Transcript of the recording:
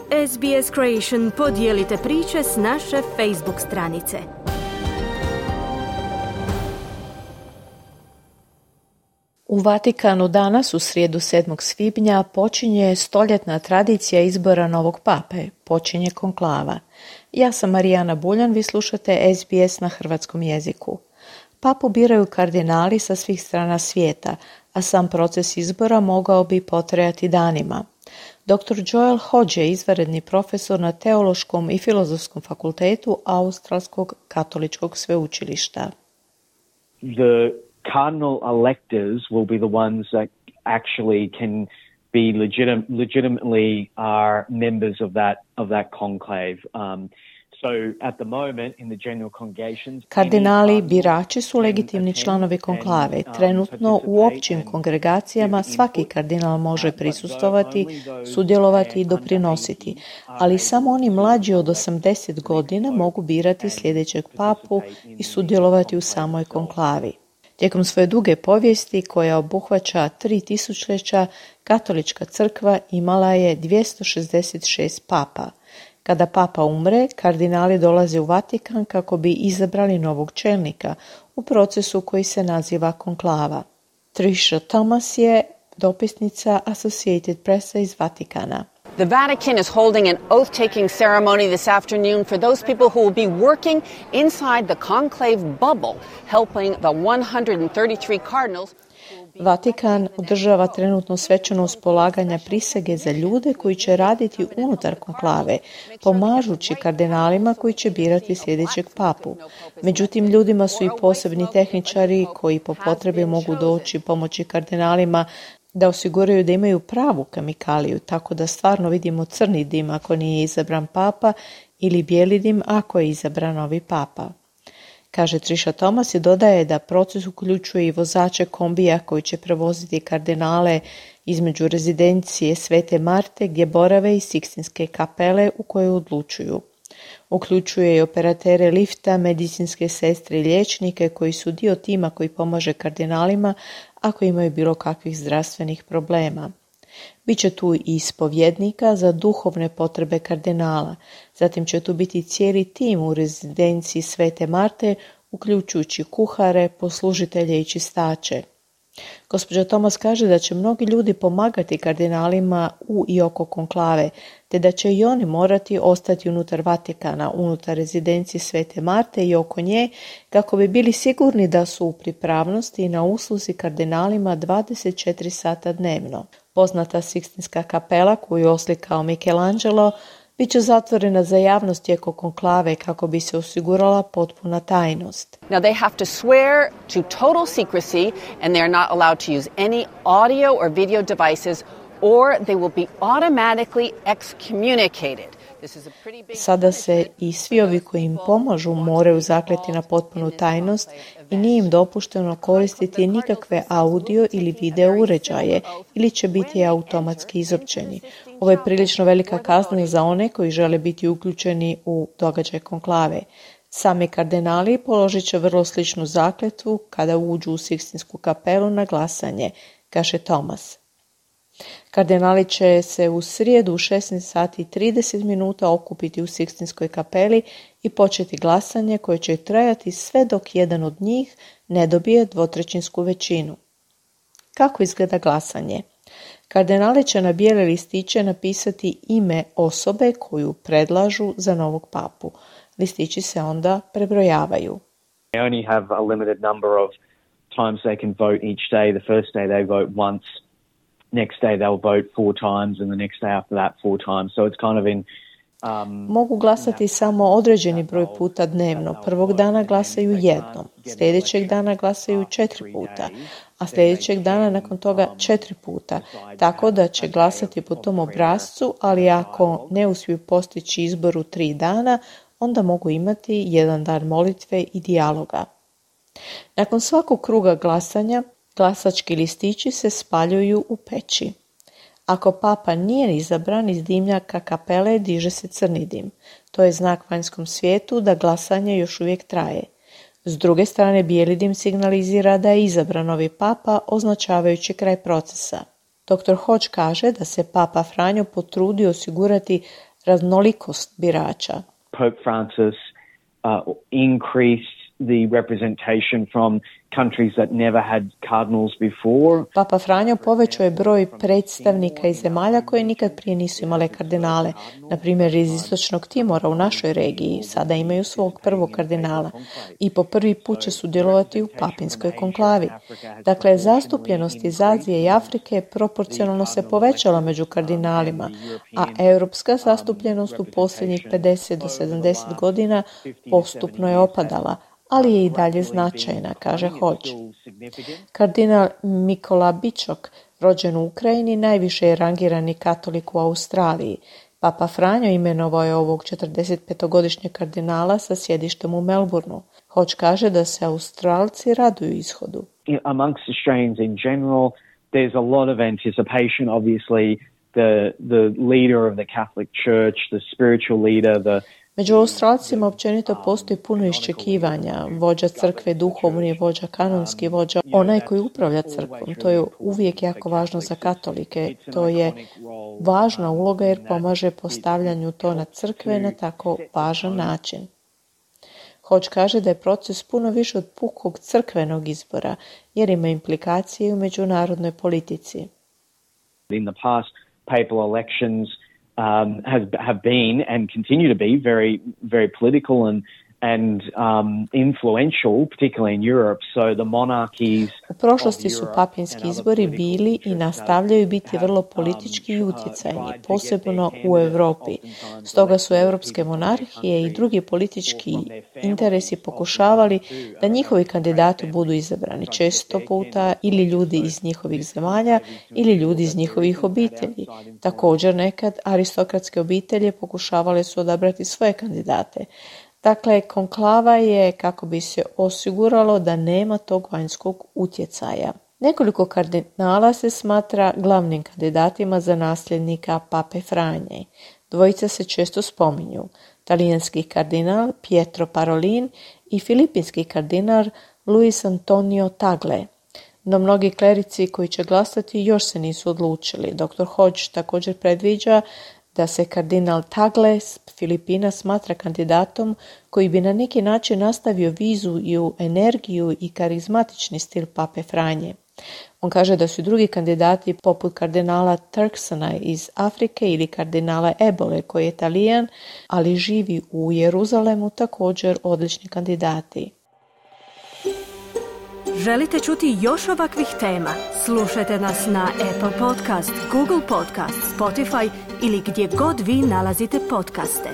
SBS Creation podijelite priče s naše Facebook stranice. U Vatikanu danas, u srijedu 7. svibnja, počinje stoljetna tradicija izbora novog pape, počinje konklava. Ja sam Marijana Buljan, vi slušate SBS na hrvatskom jeziku. Papu biraju kardinali sa svih strana svijeta, a sam proces izbora mogao bi potrajati danima. Dr. Joel Hodge je izvanredni profesor na Teološkom i Filozofskom fakultetu Australskog katoličkog sveučilišta. The cardinal electors will be the ones that actually can be legitimately are members of that conclave. So at the moment in the general congregations, kardinali birači su legitimni članovi konklave. Trenutno u općim kongregacijama svaki kardinal može prisustvovati, sudjelovati i doprinositi, ali samo oni mlađi od 80 godina mogu birati sljedećeg papu i sudjelovati u samoj konklavi. Tijekom svoje duge povijesti, koja obuhvaća 3 tisućljeća, katolička crkva imala je 266 papa. Kada papa umre, kardinali dolaze u Vatikan kako bi izabrali novog čelnika u procesu koji se naziva konklava. Tricia Thomas je dopisnica Associated Pressa iz Vatikana. The Vatican is holding an oath-taking ceremony this afternoon for those people who will be working inside the conclave bubble, helping the 133 cardinals. Vatikan održava trenutno svečanost polaganja prisege za ljude koji će raditi unutar konklave, pomažući kardinalima koji će birati sljedećeg papu. Međutim, ljudima su i posebni tehničari koji po potrebi mogu doći pomoći kardinalima da osiguraju da imaju pravu kemikaliju, tako da stvarno vidimo crni dim ako nije izabran papa ili bijeli dim ako je izabran novi papa. Kaže Tricia Thomas i dodaje da proces uključuje i vozače kombija koji će prevoziti kardinale između rezidencije Svete Marte gdje borave i Sikstinske kapele u kojoj odlučuju. Uključuje i operatere lifta, medicinske sestre i liječnike koji su dio tima koji pomaže kardinalima ako imaju bilo kakvih zdravstvenih problema. Biće tu i ispovjednika za duhovne potrebe kardinala. Zatim će tu biti cijeli tim u rezidenciji Svete Marte, uključujući kuhare, poslužitelje i čistače. Gospođa Thomas kaže da će mnogi ljudi pomagati kardinalima u i oko konklave, te da će i oni morati ostati unutar Vatikana, unutar rezidencije Svete Marte i oko nje, kako bi bili sigurni da su u pripravnosti i na usluzi kardinalima 24 sata dnevno. Poznata Sikstinska kapela, koju je oslikao Michelangelo, bit će zatvorena za javnost tijekom konklave kako bi se osigurala potpuna tajnost. Now they have to swear to total secrecy and they are not allowed to use any audio or video devices or they will be automatically excommunicated. Sada se i svi ovi koji im pomažu moraju zakleti na potpunu tajnost i nije im dopušteno koristiti nikakve audio ili video uređaje ili će biti automatski izopćeni. Ovo je prilično velika kazna za one koji žele biti uključeni u događaj konklave. Sami kardinali položit će vrlo sličnu zakletvu kada uđu u Sikstinsku kapelu na glasanje, kaže Thomas. Kardinali će se u srijedu u 16 sati i 30 minuta okupiti u Sikstinskoj kapeli i početi glasanje koje će trajati sve dok jedan od njih ne dobije 2/3 većinu. Kako izgleda glasanje? Kardinali će na bijele listiće napisati ime osobe koju predlažu za novog papu. Listići se onda prebrojavaju. They only have a limited number of times they can vote each day. The first day they vote once. Next day they'll vote 4 times and the next day after that 4 times. So it's kind of in mogu glasati samo određeni broj puta dnevno. Prvog dana glasaju jednom, sljedećeg dana glasaju 4 puta, a sljedećeg dana nakon toga 4 puta. Tako da će glasati po tom obrascu, ali ako ne uspiju postići izbor u 3 dana, onda mogu imati jedan dan molitve i dijaloga. Nakon svakog kruga glasanja, glasački listići se spaljuju u peći. Ako papa nije izabran, iz dimnjaka kapele diže se crni dim. To je znak vanjskom svijetu da glasanje još uvijek traje. S druge strane, bijeli dim signalizira da je izabran novi papa, označavajući kraj procesa. Dr. Hodge kaže da se papa Franjo potrudio osigurati raznolikost birača. Pope Francis increased the representation from countries that never had cardinals before. Papa Franjo povećao je broj predstavnika iz zemalja koje nikad prije nisu imale kardinale. Na primjer, iz Istočnog Timora u našoj regiji sada imaju svog prvog kardinala i po prvi put će sudjelovati u papinskoj konklavi. Dakle, zastupljenost iz Azije i Afrike proporcionalno se povećala među kardinalima, a europska zastupljenost u posljednjih 50 do 70 godina postupno je opadala, ali je i dalje značajna, kaže Hodge. Kardinal Mikola Bičok, rođen u Ukrajini, najviše je rangirani katolik u Australiji. Papa Franjo imenovao je ovog 45-godišnjeg kardinala sa sjedištem u Melbourneu. Hodge kaže da se Australci raduju ishodu. Amongst Australians in general, there's a lot of anticipation, obviously. The leader of the Catholic Church, the spiritual leader, Među Australcima općenito postoji puno iščekivanja. Vođa crkve, duhovni vođa, kanonski vođa, onaj koji upravlja crkvom. To je uvijek jako važno za katolike. To je važna uloga jer pomaže postavljanju tona crkve na tako važan način. Hodge kaže da je proces puno više od pukog crkvenog izbora, jer ima implikacije u međunarodnoj politici. In the past, papal elections have been and continue to be very, very political and influential, particularly in Europe. So the monarchies. U prošlosti su papinski izbori bili i nastavljaju biti vrlo politički i utjecajni, posebno u Europi. Stoga su europske monarhije i drugi politički interesi pokušavali da njihovi kandidati budu izabrani, često puta ili ljudi iz njihovih zemalja ili ljudi iz njihovih obitelji. Također nekad aristokratske obitelji pokušavale su odabrati svoje kandidate. Dakle, konklava je kako bi se osiguralo da nema tog vanjskog utjecaja. Nekoliko kardinala se smatra glavnim kandidatima za nasljednika Pape Franje. Dvojica se često spominju. Talijanski kardinal Pietro Parolin i filipinski kardinal Luis Antonio Tagle. No mnogi klerici koji će glasati još se nisu odlučili. Dr. Hodge također predviđa da se kardinal Tagle s Filipina smatra kandidatom koji bi na neki način nastavio viziju, energiju i karizmatični stil Pape Franje. On kaže da su drugi kandidati poput kardinala Turksona iz Afrike ili kardinala Ebole koji je Talijan, ali živi u Jeruzalemu, također odlični kandidati. Želite čuti još ovakvih tema? Slušajte nas na Apple Podcast, Google Podcast, Spotify ili gdje god vi nalazite podcaste.